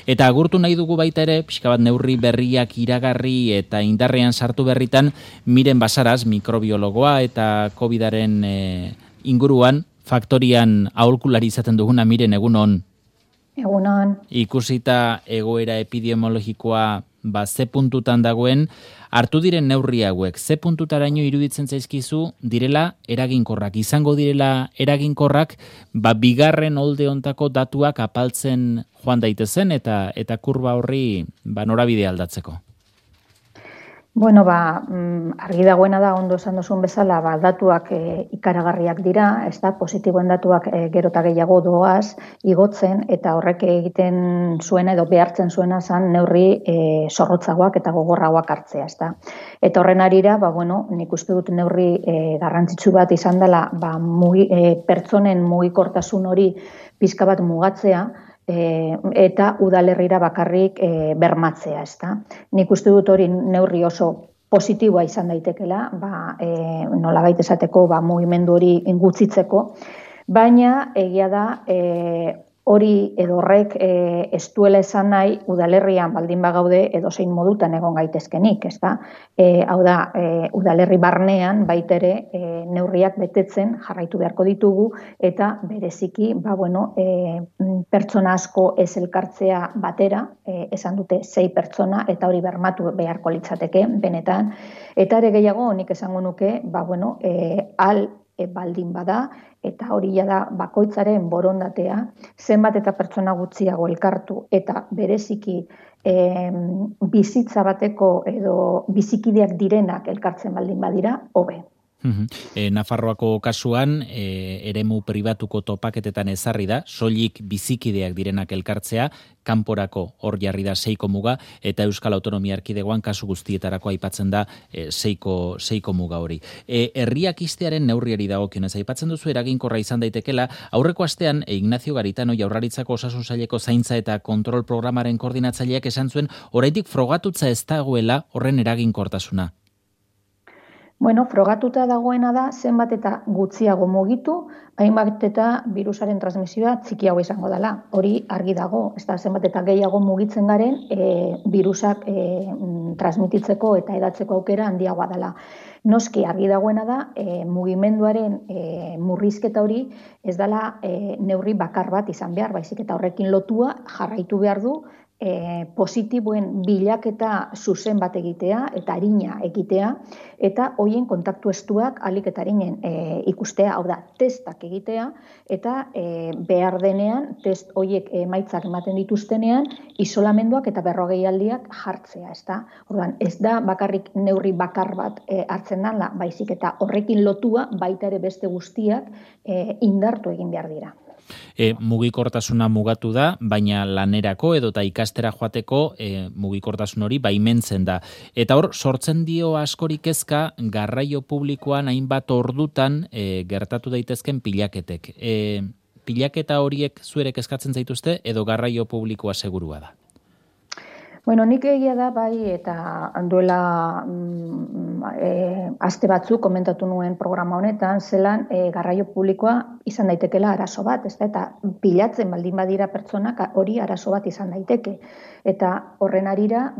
Eta agurtu nahi dugu baita ere, pixka bat neurri berriak iragarri eta indarrean sartu berritan, Miren Basaras, mikrobiologoa eta COVID-aren inguruan, faktorian aholkulari izaten duguna. Miren, egunon. Egunon. Ikusita egoera epidemiologikoa ze puntutan dagoen, hartu diren neurri hauek, ze puntutaraino iruditzen zaizkizu direla eraginkorrak, izango direla eraginkorrak, bigarren olde hontako datuak apaltzen joan daitezen eta kurba horri norabide aldatzeko? Bueno, argi dagoena da, ondo esan duzun bezala, datuak ikaragarriak dira, ez da, positiboen datuak gero eta gehiago doaz, igotzen, eta horrek egiten zuena edo behartzen zuena zan neurri zorrotzagoak eta gogorragoak hartzea, ez da. Eta horren arira, nik uste dut neurri garrantzitsu bat izan dela, pertsonen mugikortasun hori pixka bat mugatzea, eta udalerrira bakarrik bermatzea, ezta. Nik uste dut hori neurri oso positiboa izan daitekela, nolabait esateko mugimendu hori ingutzitzeko, baina egia da hori edo horrek ez duela esan nahi udalerrian baldin bagaude edozein modutan egon gaitezkenik, ezta. Hau da, udalerri barnean baitere neurriak betetzen jarraitu beharko ditugu eta bereziki, pertsona asko ez elkartzea batera, esan dute 6 pertsona eta hori bermatu beharko litzateke benetan, eta ere gehiago nik esango nuke, baldin bada, eta hori da bakoitzaren borondatea, zenbat eta pertsona gutxiago elkartu eta bereziki bizitza bateko edo bizikideak direnak elkartzen baldin badira, hobe. Nafarroako kasuan, eremu pribatuko topaketetan ezarri da, soilik bizikideak direnak elkartzea, kanporako hor jarri da 6 muga, eta Euskal Autonomia Erkidegoan kasu guztietarako aipatzen da 6 muga hori. Herriak ixtearen neurriari dagokionez, aipatzen duzu eraginkorra izan daitekela, aurreko astean Ignacio Garitano Jaurlaritzako Osasun Saileko zaintza eta kontrol programaren koordinatzaileak esan zuen, oraindik frogatutza ez dagoela horren eraginkortasuna. Frogatuta dagoena da, zenbat eta gutxiago mugitu, hainbat eta birusaren transmisioa txikiago izango dela. Hori argi dago, ez da, zenbat eta gehiago mugitzen garen, birusak transmititzeko eta edatzeko aukera handiagoa dela. Noski argi dagoena da, mugimenduaren murrizketa hori ez dela neurri bakar bat izan behar, baizik eta horrekin lotua jarraitu behar du, positiboen bilaketa zuzen bat egitea eta arina egitea eta hoien kontaktu estuak ahalik eta arinen ikustea, hau da, testak egitea eta behar denean test hoiek emaitzak ematen dituztenean isolamenduak eta 40 aldiak jartzea, ezta? Orduan, ez da bakarrik neurri bakar bat hartzen dela, baizik eta horrekin lotua baita ere beste guztiak indartu egin behar dira. Mugikortasuna mugatu da, baina lanerako edota ikastera joateko mugikortasun hori baimentzen da. Eta hor, sortzen dio askorik kezka garraio publikoan hainbat ordutan gertatu daitezken pilaketek. Pilaketa horiek zuerek eskatzen zaituzte edo garraio publikoa segurua da? Nik egia da, eta duela aste batzuk komentatu nuen programa honetan, zelan garraio publikoa izan daitekela arazo bat, eta pilatzen baldin badira pertsonak hori arazo bat izan daiteke. Eta horren arira,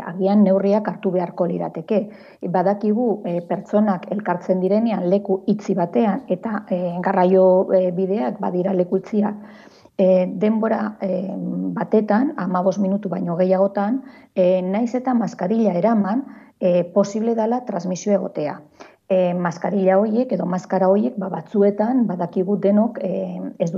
agian neurriak hartu beharko lirateke. Badakigu pertsonak elkartzen direnean leku itzi batean eta garraio bideak badira leku itziak, denbora batetan, 15 minutu baino gehiagotan, naiz eta maskarilla eraman, posible dela transmisio egotea. Maskarilla horiek edo maskara horiek batzuetan badakigu denok ez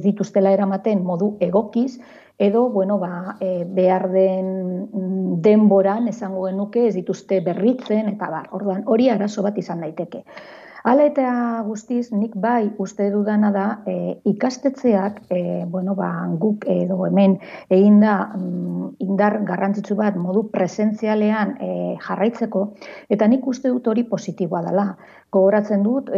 dituztela eramaten modu egokiz edo behar den denboran esango genuke ez dituzte berritzen eta orduan hori arazo bat izan daiteke. Hala eta guztiz, nik uste dudana da ikastetxeak, guk edo hemen egin da indar garrantzitsu bat modu presentzialean jarraitzeko, eta nik uste dut hori positiboa dela. Gogoratzen dut,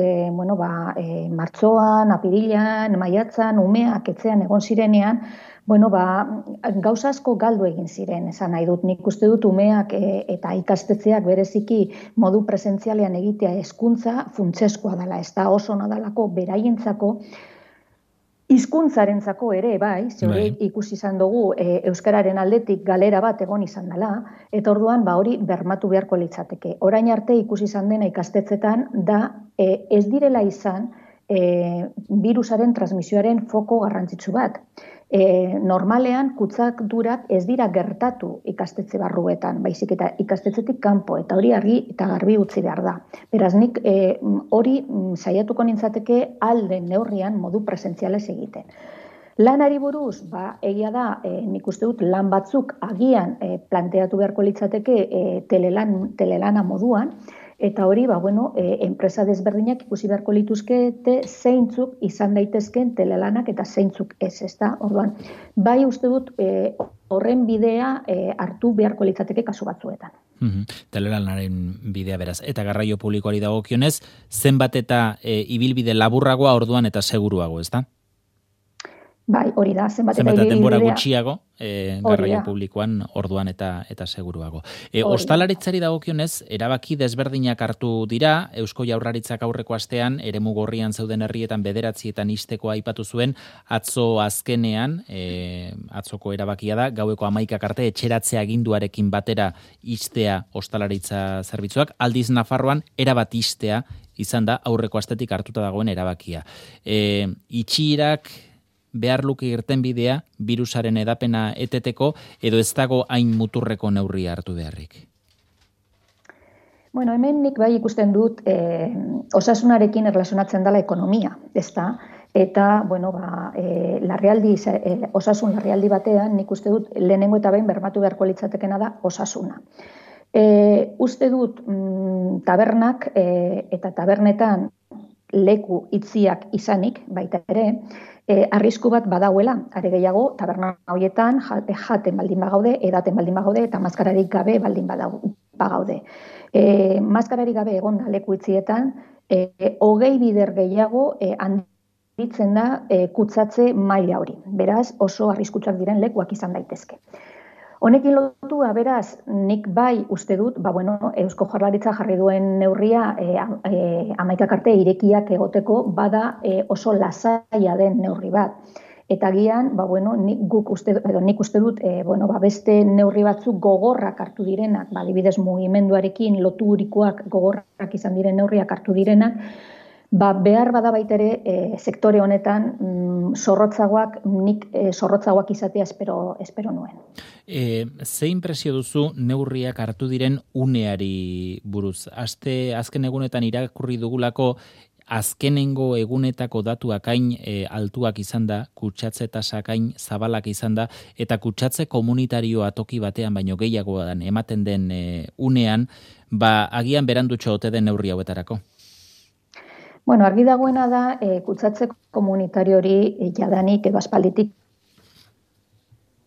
martxoan, apirilan, maiatzan, umeak etxean egon zirenean, gauza asko galdu egin ziren, esan nahi dut. Nik uste dut umeak eta ikastetxeak bereziki modu presentzialean egitea hezkuntza funtseskoa dela, ez da oso nadalako beraientzako hizkuntzarentzako ere, bai, ikusi izan dugu euskararen aldetik galera bat egon izan dela, eta orduan hori bermatu beharko litzateke. Orain arte ikusi izan dena ikastetxetan da ez direla izan virusaren transmisioaren foko garrantzitsu bat. Normalean kutsadurak ez dira gertatu ikastetxe barruetan, baizik eta ikastetxetik kanpo, eta hori argi eta garbi utzi behar da. Beraz, nik hori saiatuko nintzateke alden neurrian modu presentzialez egiten. Lanari buruz, egia da, nik uste dut lan batzuk agian planteatu beharko litzateke telelana moduan, eta hori, enpresa desberdinak ikusi beharko lituzkete zeintzuk izan daitezken telelanak eta zeintzuk ez, ezta? Orduan, bai uste dut horren bidea hartu beharko litzateke kasu batzuetan. Telelanaren bidea beraz. Eta garraio publikoari dagokionez, zenbat eta ibilbide laburragoa orduan eta seguruago, ezta? Bai, hori da, zenbat denbora gutxiago, garraio publikoan orduan eta seguruago. Ostalaritzari dagokionez, erabaki desberdinak hartu dira, Eusko Jaurlaritzak aurreko astean, eremu gorrian zeuden herrietan 9etan ixteko aipatu zuen, atzo azkenean, atzoko erabakia da, gaueko 11 arte etxeratzea aginduarekin batera ixtea ostalaritza zerbitzuak, aldiz Nafarroan erabat ixtea izan da aurreko astetik hartuta dagoen erabakia. Itxirak behar luke irtenbidea virusaren edapena eteteko edo ez dago hain muturreko neurria hartu beharrik? Hemen nik bai ikusten dut osasunarekin erlazionatzen dela ekonomia, ezta? Eta, osasun larrialdi batean nik uste dut lehenengo eta behin bermatu beharko litzatekena da osasuna. Uste dut tabernak eta tabernetan leku itziak izanik, baita ere, arrisku bat badauela, are gehiago, taberna horietan jaten baldin bagaude, edaten baldin bagaude, eta maskararik gabe baldin bagaude. Maskararik gabe egon da leku itzietan, 20 bider gehiago handitzen da kutsatze maila hori. Beraz, oso arriskutsuak diren lekuak izan daitezke. Honekin lotua, beraz, nik bai uste dut, Eusko Jaurlaritza jarri duen neurria 11 arte irekiak egoteko bada oso lasaia den neurri bat. Eta agian, nik uste dut, beste neurri batzuk gogorrak hartu direnak, adibidez mugimenduarekin loturikoak gogorrak izan diren neurriak hartu direnak, behar bada baitere sektore honetan nik zorrotzagoak izatea espero nuen. Ze impresio duzu neurriak hartu diren uneari buruz? Azken egunetan irakurri dugulako azkenengo egunetako datuak hain altuak izan da, kutsatze tasak hain zabalak izan da, eta kutsatze komunitarioa toki batean baino gehiagoan ematen den unean, agian berandutxo ote den neurri hauetarako? Argi dagoena da, kutsatze komunitario hori jadanik edo aspalditik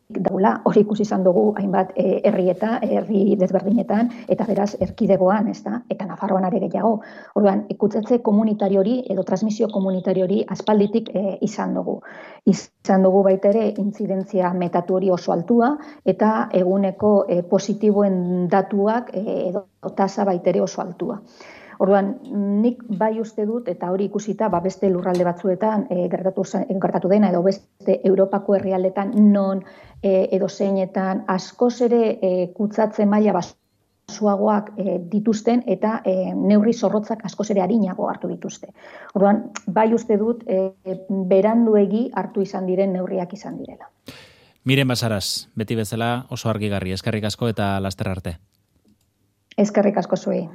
daula, hori ikusi izan dugu hainbat herri desberdinetan, eta beraz erkidegoan, eta Nafarroan are gehiago. Orduan, kutsatze komunitario hori edo transmisio komunitario hori aspalditik izan dugu. Izan dugu baita ere intzidentzia metatu hori oso altua, eta eguneko positiboen datuak edo tasa baita ere oso altua. Orduan, nik bai uste dut, eta hori ikusita, beste lurralde batzuetan gertatu dena, edo beste Europako herrialdetan non edo zeinetan askoz ere kutsatze maila basuagoak dituzten eta neurri zorrotzak askoz ere arinago hartu dituzte. Orduan, bai uste dut, beranduegi hartu izan diren neurriak izan direla. Miren Basaras, beti bezala oso argigarri, eskerrik asko eta laster arte. Eskerrik asko zuei.